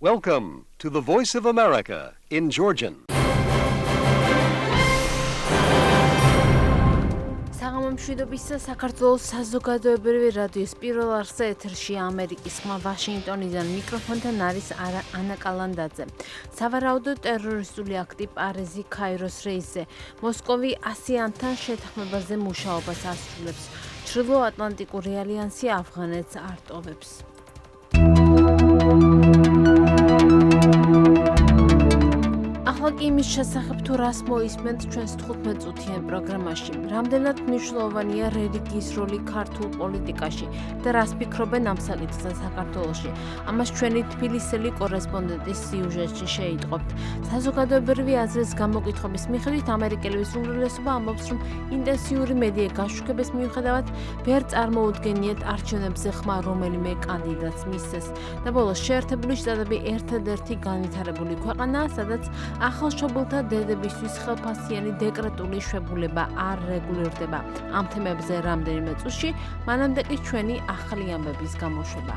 Welcome to the Voice of America in Georgian. მშვიდობის საქართველოს საზოგადოებრივი რადიოს პირველ არხზე ეთერში ამერიკის ხმა ვაშინგტონიდან მიკროფონთან არის ანა კალანდაძე. სავარაუდო ტერორისტული აქტი პარიზი ქაიროს რეისზე მოსკოვი ასიანთან შეთანხმებაზე მუშაობას ასრულებს. ჩრდილოატლანტიკური ალიანსი ავღანეთს არტოვებს. იმის შესახებ თუ რას მოისმენთ ჩვენს 15 წუთიან პროგრამაში. რამდენად მნიშვნელოვანია რელიგიის როლი ქართულ პოლიტიკაში და რას ფიქრობენ ამ საკითხზე საქართველოში. ამას ჩვენი თბილისელი კორესპონდენტის სიუჟეტში შეიტყობთ. საზოგადოებრივი აზრის გამოკითხების მიხედვით ამერიკელების უმრავლესობა ამბობს, რომ ინტენსიური მედია გაშუქების მიუხედავად ვერ წარმოუდგენიათ არჩევნებზე ხმა რომელიმე კანდიდატს მისცეს. და ბოლოს შეერთებული შტატები ერთადერთი განვითარებული ქვეყანაა, სადაც ახალშობილთა დედებისთვის ხელფასიანი დეკრეტული შვებულება არ რეგულირდება. ამ თემებზე რამდენიმე წუთში, მანამდე კი ჩვენი ახალი ამბების გამოშვება.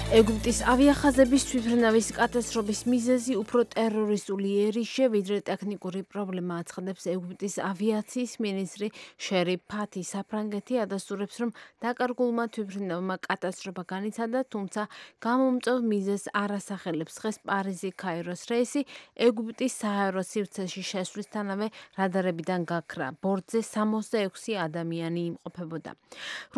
ეგვიპტის ავიახაზების თვითმფრინავის კატასტროფის მიზეზი უფრო ტერორისტული იერიშე, ვიდრე ტექნიკური პრობლემა აცხადებს ეგვიპტის ავიაციის მინისტრი შერი ფათი. საფრანგეთი ადასტურებს, რომ დაკარგულმა თვითმფრინავმა კატასტროფა განიცადა, თუმცა გამომწვევ მიზეზს არ ასახელებს. დღეს პარიზი ქაიროს რეისი ეგვიპტის სააერო სივრცეში შესვლისთანავე რადარებიდან გაქრა. ბორტზე 66 ადამიანი იმყოფებოდა.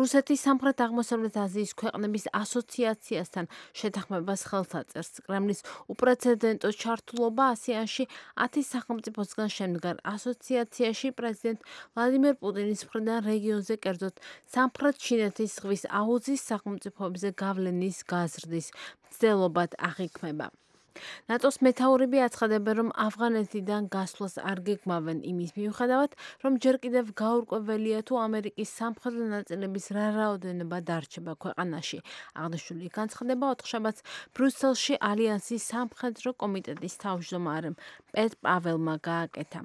რუსეთის სამხრეთ-აღმოსავლეთ აზიის ქვეყნების ასოციაციასთან შეთანხმებას ხელს აწერს. კრემლის უპრეცედენტო ჩართულობა ასიანში 10 სახელმწიფოსგან შემდგარ ასოციაციაში პრეზიდენტ ვლადიმერ პუტინის მხრიდან რეგიონზე, კერძოდ სამხრეთ ჩინეთის ზღვის აუზის სახელმწიფოებზე გავლენის გაზრდის მცდელობად აღიქმება. ნატოს მეთაურები აცხადებენ, რომ ავღანეთიდან გასვლას არ გეგმავენ იმის მიუხედავად, რომ ჯერ კიდევ გაურკვეველია თუ ამერიკის სამხრეთ ნაწილების რა რაოდენობა დარჩება ქვეყანაში. აღნიშნული განცხადება ოთხშაბათს ბრიუსელში ალიანსის სამხედრო კომიტეტის თავმჯდომარემ პეტ პაველმა გააკეთა.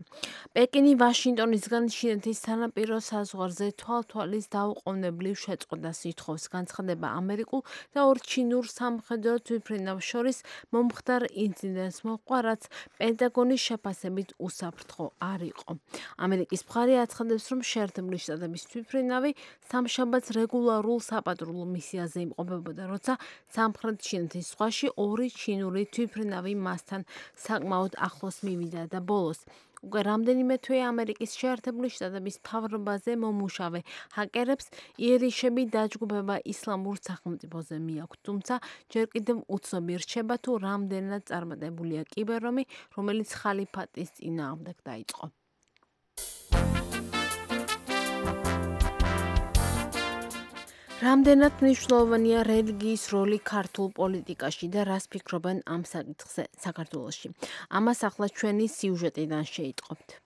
პეკინი ვაშინგტონისგან ჩინეთის სანაპირო საზღვარზე თვალთვალის დაუყოვნებლივ შეწყვეტას ითხოვს. განცხადება ამერიკულ და ორ ჩინურ სამხედრო თვითმფრინავს შორის მომხდარ ინციდენტს მოჰყვა, რაც პენტაგონის შეფასებით უსაფრთხო არ იყო. ამერიკის მხარე აცხადებს, რომ შეერთებული შტატების თვითმფრინავი სამშაბათს რეგულარულ საპატრულო მისიაზე იმყოფებოდა, როცა სამხრეთ ჩინეთის ზღვაში ორი ჩინური თვითმფრინავი მასთან საკმაოდ ახლოს მივიდა და ბოლოს უკვე რამდენიმე თვე ამერიკის შეერთებული შტატების მთავრობაზე მომუშავე ჰაკერებს იერიშები დაჯგუფება ისლამურ სახელმწიფოზე მიაქვთ, თუმცა ჯერ კიდევ უცნობი რჩება თუ რამდენად წარმატებულია კიბერომი, რომელიც ხალიფატის წინააღმდეგ დაიწყო. რამდენად მნიშვნელოვანია რელიგიის როლი ქართულ პოლიტიკაში და რას ფიქრობენ ამ საკითხზე საქართველოში. ამას ახლა ჩვენი სიუჟეტიდან შეიტყობთ.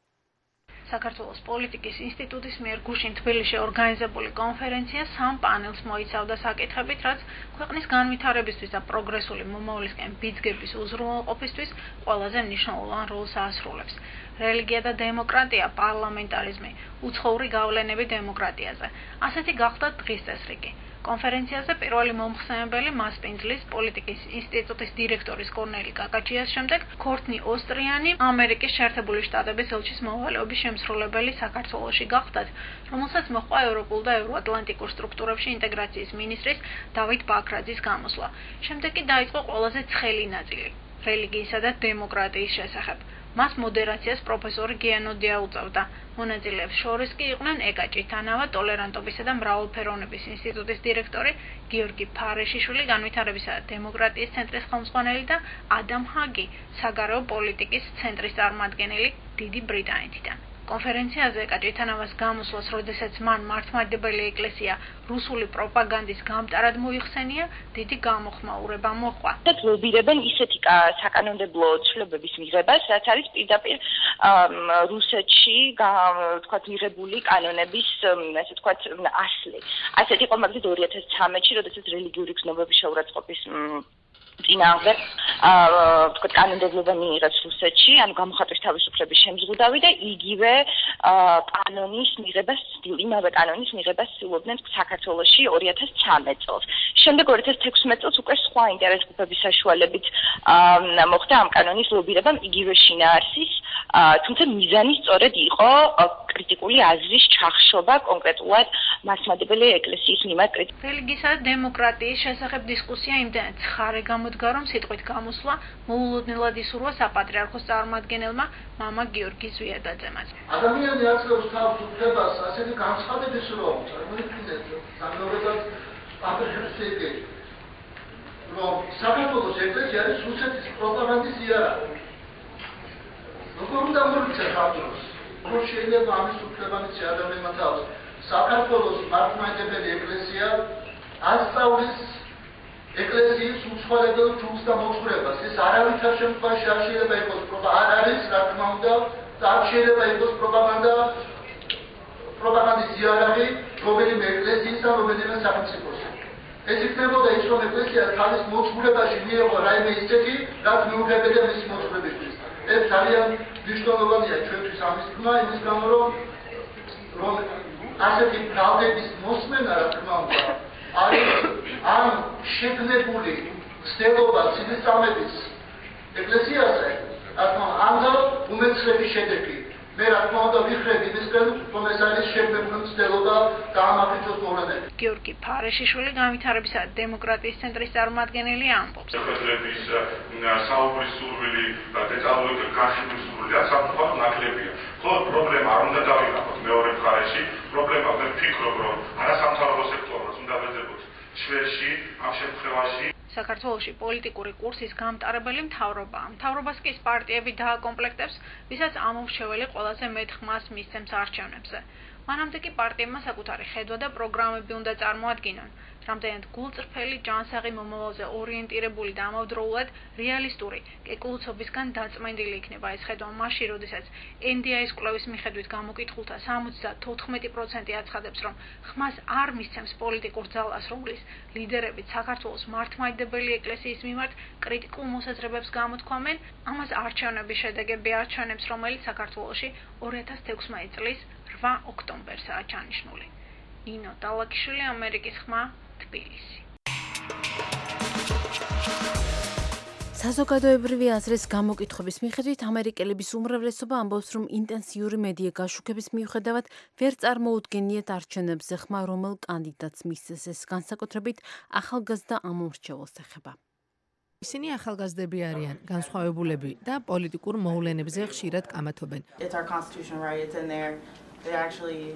საქართველოს პოლიტიკის ინსტიტუტის მიერ გუშინ თბილისში ორგანიზებული კონფერენცია სამ პანელს მოიცავდა საკითხებით, რაც ქვეყნის განვითარებისთვის და პროგრესული მომავლისკენ ბიძგების უზრუნველყოფისთვის ყველაზე მნიშვნელოვან როლს აასრულებს. რელიგია და დემოკრატია, პარლამენტარიზმი, უცხოური გავლენები დემოკრატიაზე. ასეთი გახდა დღის წესრიგი. კონფერენციაზე პირველი მომხსენებელი მასპინძლის პოლიტიკის ინსტიტუტის დირექტორის კორნელი კაკაჩიას შემდეგ ქორთნი ოსტრიანი ამერიკის შეერთებული შტატების ელჩის მოვალეობის შემსრულებელი საქართველოში გახდათ, რომელსაც მოჰყვა ევროპულ და ევროატლანტიკურ სტრუქტურებში ინტეგრაციის მინისტრის დავით ბაქრაძის გამოსვლა. შემდეგ კი დაიწყო ყველაზე ცხელი ნაწილი რელიგიისა და დემოკრატიის შესახებ. მას მოდერაციას პროფესორი გიანოდია უწევდა. მონაწილეებს შორის კი იყვნენ ეკა ჭითანავა, ტოლერანტობისა და მრავალფეროვნების ინსტიტუტის დირექტორი გიორგი ფარეშიშვილი, განვითარებისა და დემოკრატიის ცენტრის ხელმძღვანელი და ადამ ჰაგი, საგარეო პოლიტიკის ცენტრის წარმომადგენელი დიდი ბრიტანეთიდან. კონფერენციაზე ეკა ჭითანავას გამოსვლას, როდესაც მან მართლმადიდებელი ეკლესია რუსული პროპაგანდის გამტარად მოიხსენია, დიდი გამოხმაურება მოჰყვა. ლობირებენ ისეთი საკანონმდებლო ცვლილებების მიღებას, რაც არის პირდაპირ რუსეთში თქვათ მიღებული კანონების, ასე თქვათ, ასლი. ასეთ იყო მაგალითად 2013-ში, როდესაც რელიგიური გზნობების შეურაცხყოფის წინააღმდეგ თქვათ კანონმდებლობა მიიღებს რუსეთში, ანუ გამოხატვის თავისუფლების შემზღუდავი და იგივე კანონის მიღებას, იმავე კანონის მიღებას ცდილობდნენ საქართველოში 2013 წელს. შემდეგ 2016 წელს უკვე სხვა ინტერეს ჯგუფების საშუალებით მოხდა ამ კანონის ლობირებამ იგივე შინაარსის, თუმცა მიზანი სწორედ იყო კრიტიკული აზრის ჩახშობა კონკრეტულად მასმადებელი ეკლესიის მიმართ. რელიგიისა და დემოკრატიის შესახებ დისკუსია იმდენად ცხარე გამოდგა, რომ სიტყვით გამოსვლა მოულოდნელად ისურვა საპატრიარქოს წარმომადგენელმა მამა გიორგი ზვიადაძემაც. ადამიანი არსებობს თავს უფლებას ასეთი განცხადების რომ წარმოიდგინეთ სამგებლად აპრეშიაციები რომ საქართველოს ეკლესია არის რუსეთის პროპაგანდის იარაღი. როგორ უნდა მოიქცეს ხალხს? როგორ შეიძლება ამის უფლებამოსი ადამიანმა თავს საქართველოს მართლმადიდებელი ეკლესია ასწავლის ეკლესიის უცხოელებელ ჯგუფს და მოძღვრებას. ეს არავითარ შემთხვევაში არ შეიძლება იყოს არ არის, რა თქმა უნდა, არ შეიძლება იყოს პროპაგანდის იარაღი რომელიმე ეკლესიის და რომელიმე სახელმწიფოს. ეს იქნებოდა ის, რომ ეკლესია თავის მოძღვრებაში მიიღო რაიმე ისეთი, რაც მიუღებელია მისი მოძღვრებისთვის. ეს ძალიან მნიშვნელოვანია ჩვენთვის ამის თქმა, იმის გამო რომ ასეთი правდების მოსმენა, რა თქმა უნდა, არის ამ შეგნებული ცდელობა სისწამების ეკლესიაზე, რა თქმა უნდა, ამდა უმეცრები შედეგი. მე რა თქმა უნდა ვიხრები იმისგან, რომ ეს არის შეგნებული ცდელობა და ამაფრინოს მოვლენები. გიორგი ფარეშიშვილი განვითარებისა და დემოკრატიის ცენტრის წარმომადგენელი ამბობს. ხელების საუბრის სურვილი და დეტალური განხილვის სურვილი საფრთხოდ ნაკლებია. ხო, პრობლემა არ უნდა დავინახოთ მეორე მხარეში, პრობლემა მე ვფიქრობ, რომ არასამთავრობო სექტორს უნდა ვეძებოთ ჩვენში ამ შემთხვევაში. საქართველოში პოლიტიკური კურსის გამტარებელი მთავრობაა. მთავრობას კი პარტიები დააკომპლექტებს, ვისაც ამომრჩეველი ყველაზე მეტ ხმას მისცემს არჩევნებზე. მანამდე კი პარტიებმა საკუთარი ხედვა და პროგრამები უნდა წარმოადგინონ. რამდენად გულწრფელი, ჯანსაღი, მომავალზე ორიენტირებული და ამავდროულად რეალისტური, კეკლუცობისგან დაწმენდილი იქნება ეს ხედვა მაშინ, როდესაც NDI-ის კვლევის მიხედვით გამოკითხულთა 74% აცხადებს, რომ ხმას არ მისცემს პოლიტიკურ ძალას, რომლის ლიდერებიც საქართველოს მართლმადიდებელი ეკლესიის მიმართ კრიტიკულ მოსაზრებებს გამოთქვამენ, ამას არჩევნების შედეგები არჩევნებს, რომელიც საქართველოში 2016 წლის 8 ოქტომბერსაა ჩანიშნული. ნინო დალაკიშვილი, ამერიკის ხმა, თბილისი. საზოგადოებრივი აზრის გამოკითხების მიხედვით ამერიკელების უმრავლესობა ამბობს, რომ ინტენსიური მედია გაშუქების მიუხედავად ვერ წარმოუდგენიათ არჩევნებზე ხმა, რომელ კანდიდატს მისცეს. ეს განსაკუთრებით ახალგაზრდა ამომრჩეველს ეხება. ისინი ახალგაზრდები არიან, განსხვავებულები და პოლიტიკურ მოვლენებზე ხშირად კამათობენ. It's our constitutional right, it's in there. It actually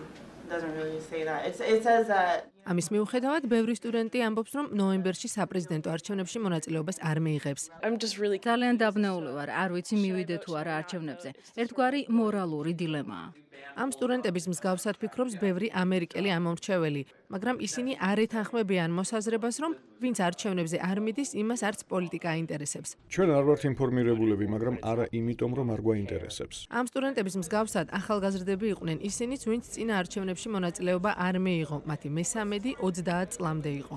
doesn't really say that. It says that ამის მიუხედავად, ბევრი სტუდენტი ამბობს, რომ ნოემბერში საპრეზიდენტო არჩევნებში მონაწილეობას არ მიიღებს. ძალიან დაბნეული ვარ, არ ვიცი მივიდე თუ არა არჩევნებზე. ერთგვარი მორალური დილემაა. ამ სტუდენტების მსგავსად ფიქრობს ბევრი ამერიკელი ამომრჩეველი, მაგრამ ისინი არ ეთანხმებიან მოსაზრებას, რომ ვინც არჩევნებზე არ მიდის, იმას არც პოლიტიკა აინტერესებს. ჩვენ არ ვართ ინფორმირებულები, მაგრამ არა იმიტომ, რომ არ გვაინტერესებს. ამ სტუდენტების მსგავსად ახალგაზრდები იყვნენ ისინიც, ვინც წინა არჩევნებში მონაწილეობა არ მიიღო, მათი მესამედი 30 წლამდე იყო.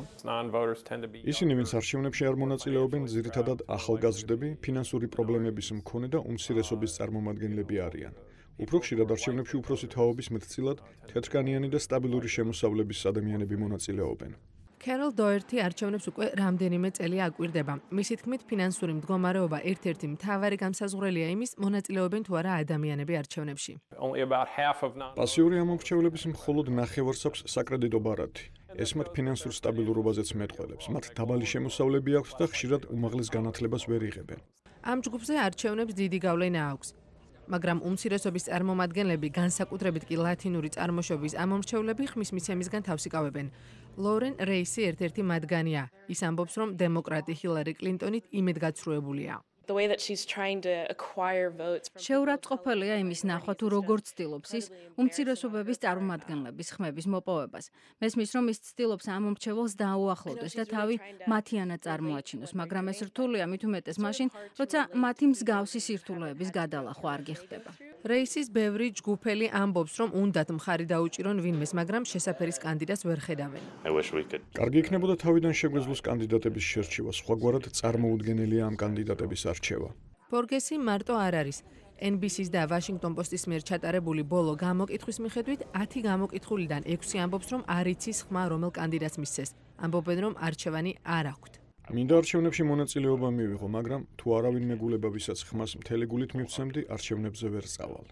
ისინი, ვინც არჩევნებში არ მონაწილეობენ, ძირითადად ახალგაზრდები, ფინანსური პრობლემების მქონე და უმცირესობის წარმომადგენლები არიან. უფრო ხშირად არჩევნებში უფროსი თაობის მეტწილად თეთრკანიანი და სტაბილური შემოსავლების ადამიანები მონაწილეობენ. Carol Doherty არჩევნებს უკვე რამდენიმე წელი აკვირდება. მისი თქმით, ფინანსური მდგომარეობა ერთ-ერთი მთავარი განსაზღვრელია იმის, მონაწილეობენ თუ არა ადამიანები არჩევნებში. პასიური ამომრჩევლების მხოლოდ ნახევარს აქვს საკრედიტო ბარათი. ეს მათ ფინანსურ სტაბილურობაზეც მეტყველებს. მათ დაბალი შემოსავლები აქვთ და ხშირად უმაღლეს განათლებას ვერ იღებენ. ამ ჯგუფზე არჩევნებს დიდი გავლენა აქვს. მაგრამ უმცირესობის წარმომადგენლები, განსაკუთრებით კი ლათინური წარმოშობის ამომრჩევლები ხმის მიცემისგან თავს იკავებენ. ლორენ რეისი ერთ-ერთი მათგანია. ის ამბობს, რომ დემოკრატი ჰილარი კლინტონით იმედგაცრუებულია. შეურაცხყოფელია იმის ნახვა, თუ როგორ ცდილობს ის უმცირესობების წარმომადგენლების ხმების მოპოვებას. მესმის, რომ ის ცდილობს ამომრჩეველს დაუახლოვდეს და თავი მათიანად წარმოაჩინოს, მაგრამ ეს რთულია მით უმეტეს მაშინ, როცა მათი მსგავსი სირთულეების გადალახვა არ გიხდება. რეისის ბევრი ჯგუფელი ამბობს, რომ უნდათ მხარი დაუჭირონ ვინმეს, მაგრამ შესაფერის კანდიდატს ვერ ხედავენ. კარგი იქნებოდა თავიდან შეგვეძლოს კანდიდატების შერჩევა, სხვაგვარად წარმოუდგენელია ამ კანდიდატების არჩევა. ბორგესი მარტო არ არის. NBC-ს და Washington Post-ის მიერ ჩატარებული ბოლო გამოკითხვის მიხედვით 10 გამოკითხულიდან 6 ამბობს, რომ არ იცის ხმა რომელ კანდიდატს მისცეს. ამბობენ, რომ არჩევანი არ აქვთ. მინდა არჩევნებში მონაწილეობა მივიღო, მაგრამ თუ არავინ მეგულება, ვისაც ხმას მთელი გულით მივცემდი, არჩევნებზე ვერ წავალ.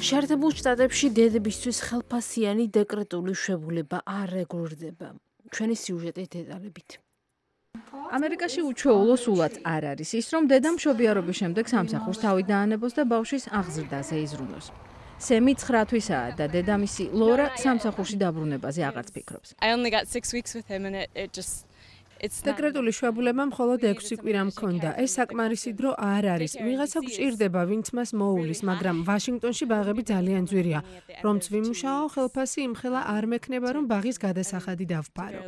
შეერთებულ შტატებში დედებისთვის ხელფასიანი დეკრეტული შვებულება არ რეგულირდება. ჩვენი სიუჟეტი დეტალებით. ამერიკაში უჩვეულო სულაც არ არის ის, რომ დედა მშობიარობის შემდეგ სამსახურს თავი დაანებოს და ბავშვის აღზრდაზე იზრუნოს. სემი 9 თვისაა და დედამისი ლორა სამსახურში დაბრუნებაზე აღარც ფიქრობს. დეკრეტული შვებულება მხოლოდ 6 კვირა მქონდა. ეს საკმარისი დრო არ არის. ვიღაცა გვჭირდება, ვინც მას მოუვლის, მაგრამ ვაშინგტონში ბაღები ძალიან ძვირია. რომც ვიმუშაო, ხელფასი იმხელა არ მექნება, რომ ბაღის გადასახადი დავფარო.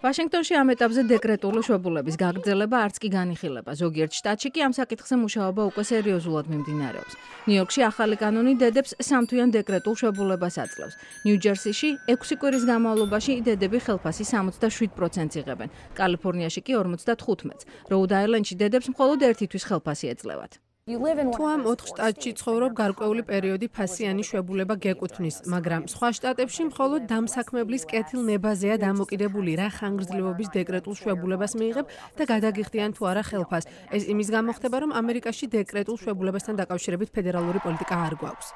ვაშინგტონში ამ ეტაპზე დეკრეტული შვებულების გაგრძელება არც კი განიხილება. ზოგიერთ შტატში კი ამ საკითხზე მუშაობა უკვე სერიოზულად მიმდინარეობს. ნიუ-იორკში ახალი კანონი დედებს 3 თვიან დეკრეტულ შვებულებას აძლევს. ნიუ-ჯერსიში 6 კვირის განმავლობაში დედები ხელფასი 67% იღებენ. კალიფორნიაში კი 55%. როუდ-აილენდში დედებს მხოლოდ 1 თვის ხელფასი ეძლევათ. თუ ამ 4 შტატში ცხოვრობ, გარკვეული პერიოდი ფასიანი შვებულება გეკუთვნის, მაგრამ სხვა შტატებში მხოლოდ დამსაქმებლის კეთილნებაზეა დამოკიდებული, რა ხანგრძლივობის დეკრეტულ შვებულებას მიიღებ და გადაგიხდიან თუ არა ხელფას. ეს იმის გამო ხდება, რომ ამერიკაში დეკრეტულ შვებულებასთან დაკავშირებით ფედერალური პოლიტიკა არ გვაქვს.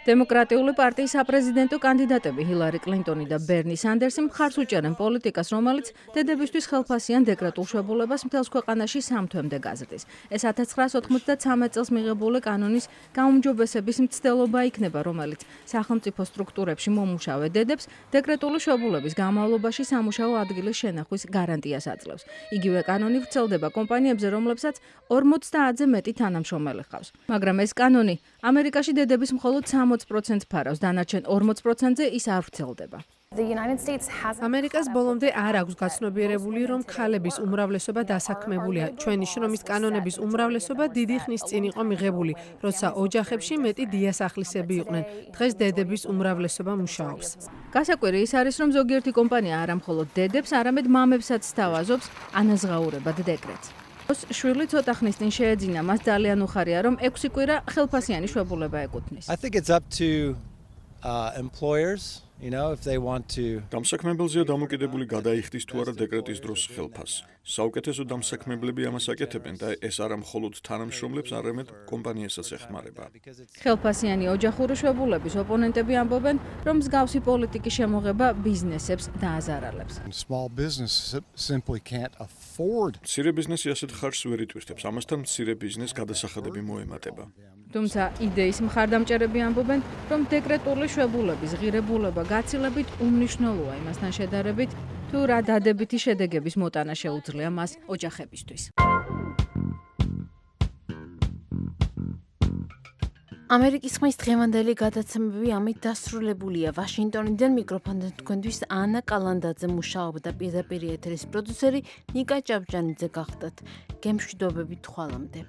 დემოკრატიული პარტიის საპრეზიდენტო კანდიდატები ჰილარი კლინტონი და ბერნი სანდერსი მხარს უჭერენ პოლიტიკას, რომელიც დედებისთვის ხელფასიან დეკრეტულ შვებულებას მთელს ქვეყანაში 3 თვემდე გაზრდის. ეს 1993 წელს მიღებული კანონის გაუმჯობესების მცდელობა იქნება, რომელიც სახელმწიფო სტრუქტურებში მომუშავე დედებს დეკრეტული შვებულების განმავლობაში სამუშაო ადგილის შენახვის გარანტიას აძლევს. იგივე კანონი ვრცელდება კომპანიებზე, რომლებსაც 50-ზე მეტი თანამშრომელი ჰყავს. მაგრამ ეს კანონი ამერიკაში დედების მხოლოდ 60% ფარავს, დანარჩენ 40%-ზე ის არ ვრცელდება. ამერიკას ბოლომდე არ აქვს გაცნობიერებული, რომ ქალების უმრავლესობა დასაქმებულია. ჩვენი შრომის კანონების უმრავლესობა დიდი ხნის წინ იყო მიღებული, როცა ოჯახებში მეტი დიასახლისები იყვნენ. დღეს დედების უმრავლესობა მუშაობს. გასაკვირი ის არის, რომ ზოგიერთი კომპანია არა მხოლოდ დედებს, არამედ მამებსაც სთავაზობს ანაზღაურებად დეკრეტს. შვილი ცოტა ხნის წინ შეეძინა, მას ძალიან უხარია, რომ 6 კვირა ხელფასიანი შვებულება ეკუთვნის. დამსაქმებელზეა დამოკიდებული გადაიხდის თუ არა დეკრეტის დროს ხელფასს. საუკეთესო დამსაქმებლები ამას აკეთებენ და ეს არა მხოლოდ თანამშრომლებს, არამედ კომპანიასაც ეხმარება. ხელფასიანი ოჯახური შვებულების ოპონენტები ამბობენ, რომ მსგავსი პოლიტიკის შემოღება ბიზნესებს დააზარალებს. მცირე ბიზნესი ასეთ ხარჯს ვერ იტვირთებს, ამასთან მცირე ბიზნესს გადასახადები მოემატება. თუმცა იდეის მხარდამჭერები ამბობენ, რომ დეკრეტული შვებულების ღირებულება გაცილებით უმნიშვნელოა იმასთან შედარებით, თუ რა დადებითი შედეგების მოტანა შეუძლია მას ოჯახებისთვის. ამერიკის ხმის დღევანდელი გადაცემები ამით დასრულებულია. ვაშინგტონიდან მიკროფონთან თქვენთვის ანა კალანდაძე მუშაობდა, პირდაპირ ეთერის პროდიუსერი ნიკა ჭავჭანიძე გახდათ. გემშვიდობებით ხვალამდე.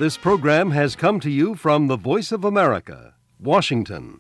This program has come to you from the Voice of America, Washington.